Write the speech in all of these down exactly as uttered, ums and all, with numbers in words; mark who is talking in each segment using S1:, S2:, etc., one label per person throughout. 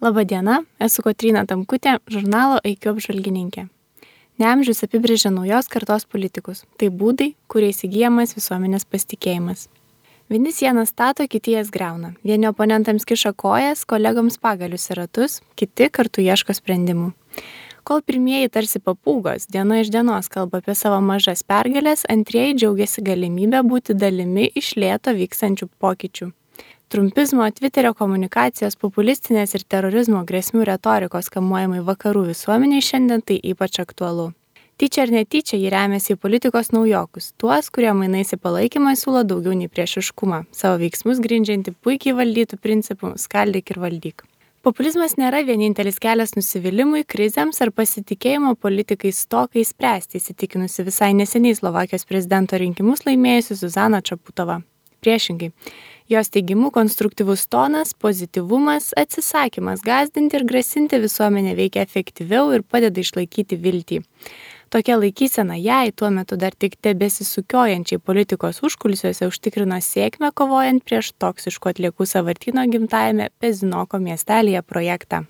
S1: Labadiena, esu Kotryna Tamkutė, žurnalo I Q apžvalgininkė. Neamžius apibrėžia naujos kartos politikus. Tai būdai, kuriais įgyjamas visuomenės pasitikėjimas. Vieni sienas stato, kiti jas griauna. Vieni oponentams kiša kojas, kolegoms pagalius į ratus, kiti kartu ieško sprendimų. Kol pirmieji tarsi papūgos diena iš dienos kalba apie savo mažas pergalės, antrieji džiaugiasi galimybę būti dalimi iš lėto vykstančių pokyčių. Trumpizmo, Twitterio komunikacijos, populistinės ir terorizmo grėsmių retorikos kamuojamai vakarų visuomeniai šiandien tai ypač aktualu. Tyčia ar netyčia jį remiasi į politikos naujokus, tuos, kurie mainais į palaikymą siūlo daugiau nei priešiškumą, savo veiksmus grindžianti puikiai valdytų principų skaldyk ir valdyk. Populizmas nėra vienintelis kelias nusivylimui, krizėms ar pasitikėjimo politikais stokai spręsti, įsitikinusi visai neseniai Slovakijos prezidento rinkimus laimėjusi Zuzana Čaputova. Priešingai, jos teigimu konstruktyvus tonas, pozityvumas, atsisakymas gąsdinti ir grasinti visuomenę veikia efektyviau ir padeda išlaikyti viltį. Tokia laikysena jai tuo metu dar tik tebesisukiojančiai politikos užkulisiuose užtikrino sėkmę kovojant prieš toksiškų atliekų sąvartyno gimtajame Pezinoko miestelyje projektą.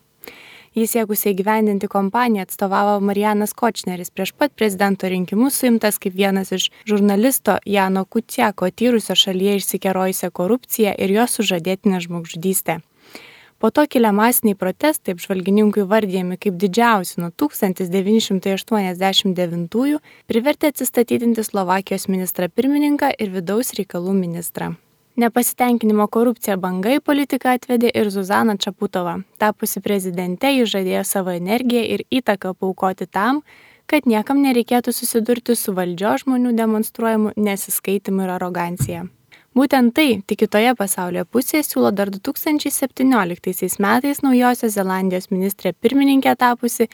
S1: Jis siekusiai įgyvendinti kompaniją atstovavo Marijanas Kočneris, prieš pat prezidento rinkimus suimtas kaip vienas iš žurnalisto Jano Kuciako tyrusio šalyje išsikerojusią korupciją ir jos sužadėtinę žmogžudystę. Po to kilę masiniai protestai, apžvalgininkų įvardyjami kaip didžiausi nuo tūkstantis devyni šimtai aštuoniasdešimt devintųjų, privertė atsistatydinti Slovakijos ministrą pirmininką ir vidaus reikalų ministrą. Nepasitenkinimo korupcija banga į politiką atvedė ir Zuzana Čaputova. Tapusi prezidente, ji žadėjo savo energiją ir įtaką paaukoti tam, kad niekam nereikėtų susidurti su valdžios žmonių demonstruojamu nesiskaitimu ir arogancija. Būtent tai tik kitoje pasaulio pusėje siūlo dar du tūkstančiai septynioliktaisiais metais Naujosios Zelandijos ministrė pirmininkė tapusi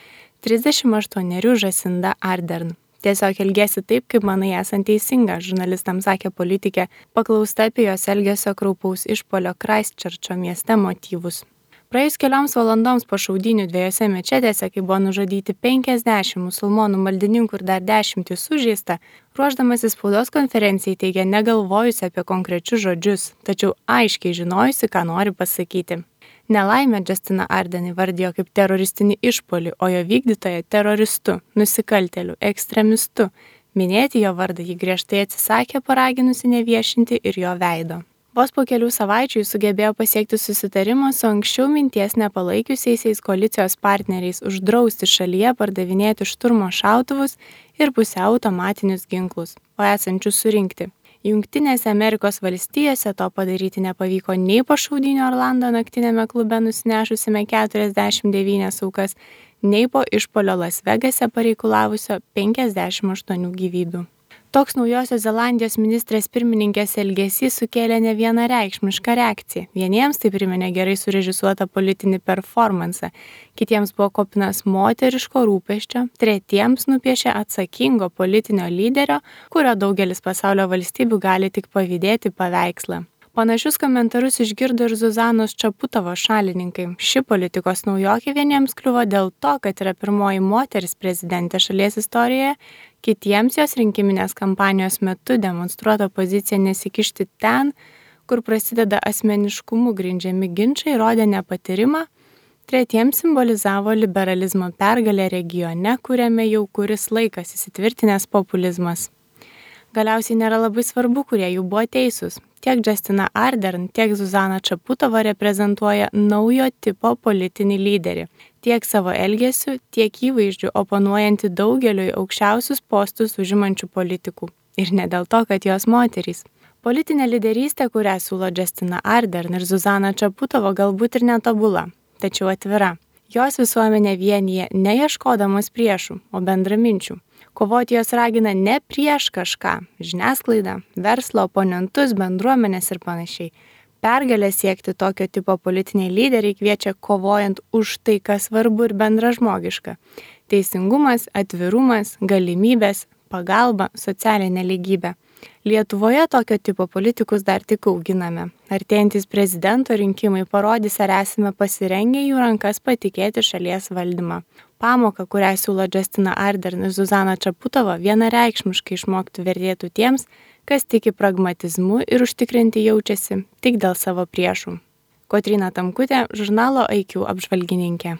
S1: trisdešimt aštuonerių Jacinda Ardern. Tiesiog elgiasi taip, kaip manai esant teisinga, žurnalistams sakė politikė, paklausta apie jos elgesio kraupaus išpuolio Christchurcho mieste motyvus. Praėjus kelioms valandoms po šaudynių dviejose mečetėse, kai buvo nužudyti penkiasdešimt musulmonų maldininkų ir dar dešimtys sužeista, ruošdamasi spaudos konferencijai teigė negalvojusi apie konkrečius žodžius, tačiau aiškiai žinojusi, ką nori pasakyti. Nelaimę Justina Ardern įvardijo kaip teroristinį išpuolį, o jo vykdytoją teroristu, nusikaltėliu, ekstremistu. Minėti jo vardą ji griežtai atsisakė, paraginusi neviešinti ir jo veido. Vos po kelių savaičių jis sugebėjo pasiekti susitarimą su anksčiau minties nepalaikiusiais koalicijos partneriais uždrausti šalyje pardavinėti šturmo šautuvus ir pusiau automatinius ginklus, o esančius surinkti. Jungtinėse Amerikos valstijose to padaryti nepavyko nei po šaudynių Orlando naktinėme klube nusinešusime keturiasdešimt devynias aukas, nei po išpuolio Las Vegase pareikalavusio penkiasdešimt aštuonių gyvybių. Toks Naujosios Zelandijos ministrės pirmininkės elgesys sukėlė ne vienareikšmišką reakciją. Vieniems tai priminė gerai surežisuotą politinį performansą, kitiems buvo kopinas moteriško rūpesčio, tretiems nupiešė atsakingo politinio lyderio, kurio daugelis pasaulio valstybių gali tik pavydėti paveikslą. Panašius komentarus išgirdo ir Zuzanos Čaputovos šalininkai. Ši politikos naujokė vieniems kliuvo dėl to, kad yra pirmoji moteris prezidentė šalies istorijoje, kitiems jos rinkiminės kampanijos metu demonstruota pozicija nesikišti ten, kur prasideda asmeniškumu grindžiami ginčai, rodė nepatyrimą, tretiems simbolizavo liberalizmo pergalę regione, kuriame jau kuris laikas įsitvirtinęs populizmas. Galiausiai nėra labai svarbu, kurie jų buvo teisūs. Tiek Justina Ardern, tiek Zuzana Čaputova reprezentuoja naujo tipo politinį lyderį. Tiek savo elgesiu, tiek įvaizdžiu oponuojanti daugeliui aukščiausius postus užimančių politikų. Ir ne dėl to, kad jos moterys. Politinė lyderystė, kurią siūlo Justina Ardern ir Zuzana Čaputova, galbūt ir netobula, tačiau atvira. Jos visuomenė vienyje neieškodamos priešų, o bendraminčių. Kovoti jos ragina ne prieš kažką – žiniasklaidą, verslo, oponentus, bendruomenės ir panašiai. Pergalę siekti tokio tipo politiniai lyderiai kviečia kovojant už tai, kas svarbu ir bendražmogiška. Teisingumas, atvirumas, galimybės, pagalba, socialinė lygybė. Lietuvoje tokio tipo politikus dar tik auginame. Artėjantys prezidento rinkimai parodys, ar esame pasirengę jų rankas patikėti šalies valdymą. Pamoka, kurią siūlo Justina Ardern ir Zuzana Čaputova, vienareikšmiškai išmokti vertėtų tiems, kas tiki pragmatizmu ir užtikrinti jaučiasi tik dėl savo priešų. Kotryna Tamkutė, žurnalo I Q apžvalgininkė.